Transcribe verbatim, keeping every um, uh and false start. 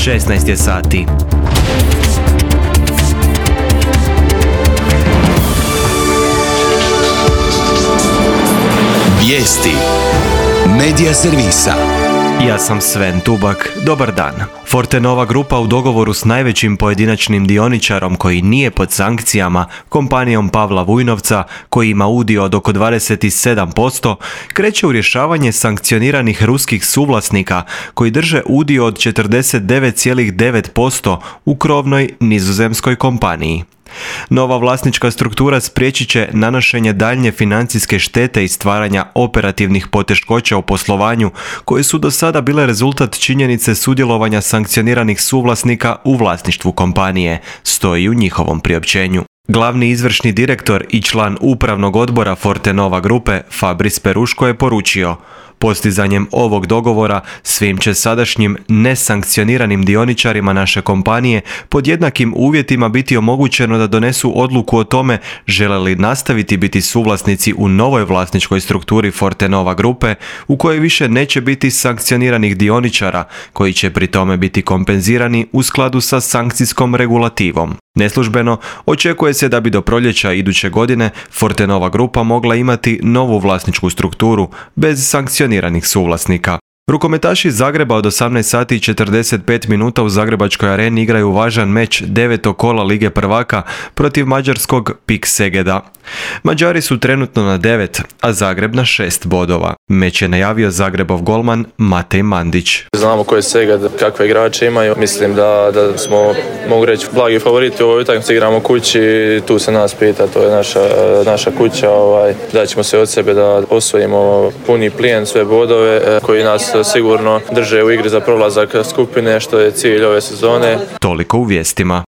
šesnaest je sati. Vijesti Medija servisa. Ja sam Sven Tubak, dobar dan. Fortenova grupa u dogovoru s najvećim pojedinačnim dioničarom koji nije pod sankcijama, kompanijom Pavla Vujnovca, koji ima udio od oko dvadeset sedam posto, kreće u rješavanje sankcioniranih ruskih suvlasnika koji drže udio od četrdeset devet zarez devet posto u krovnoj nizozemskoj kompaniji. Nova vlasnička struktura spriječit će nanošenje daljnje financijske štete i stvaranja operativnih poteškoća u poslovanju koje su do sada bile rezultat činjenice sudjelovanja sankcioniranih suvlasnika u vlasništvu kompanije, stoji u njihovom priopćenju. Glavni izvršni direktor i član upravnog odbora Fortenova grupe Fabris Peruško je poručio: postizanjem ovog dogovora svim će sadašnjim nesankcioniranim dioničarima naše kompanije pod jednakim uvjetima biti omogućeno da donesu odluku o tome žele li nastaviti biti suvlasnici u novoj vlasničkoj strukturi Fortenova grupe u kojoj više neće biti sankcioniranih dioničara koji će pri tome biti kompenzirani u skladu sa sankcijskom regulativom. Neslužbeno, očekuje se da bi do proljeća iduće godine Fortenova grupa mogla imati novu vlasničku strukturu bez sankcioniranih suvlasnika. Rukometaši Zagreba od osamnaest sati i četrdeset pet minuta u Zagrebačkoj areni igraju važan meč devetog kola Lige prvaka protiv mađarskog Pik Segeda. Mađari su trenutno na devet, a Zagreb na šest bodova. Meč je najavio Zagrebov golman Matej Mandić. Znamo ko je Seged, kakve igrače imaju. Mislim da, da smo, mogu reći, blagi favoriti u ovoj utakmici. Igramo kući, tu se nas pita, to je naša, naša kuća. Ovaj, daćemo se od sebe da osvojimo puni plijen, sve bodove koji nas sigurno drže u igri za prolazak skupine, što je cilj ove sezone. Toliko u vijestima.